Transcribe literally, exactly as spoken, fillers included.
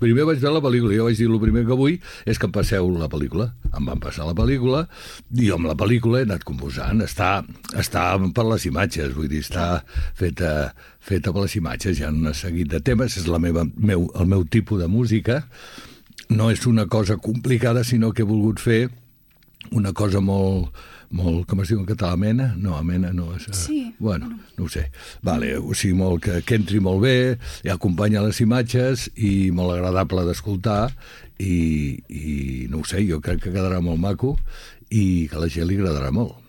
Primer vaig veure la pel·lícula, jo vaig dir el primer que vull és que em passeu la pel·lícula. Em van passar la pel·lícula i jo amb la pel·lícula he anat composant. Està, està per les imatges, vull dir, està feta, feta per les imatges. Hi ha un seguit de temes, és la meva, meu, el meu tipus de música. No és una cosa complicada, sinó que he volgut fer una cosa molt, molt, com es diu en català, amena? No, amena no. És, sí. Bueno, no ho sé. Vale, o sigui, molt, que, que entri molt bé, i acompanya les imatges i molt agradable d'escoltar i, i no ho sé, jo crec que quedarà molt maco i que a la gent li agradarà molt.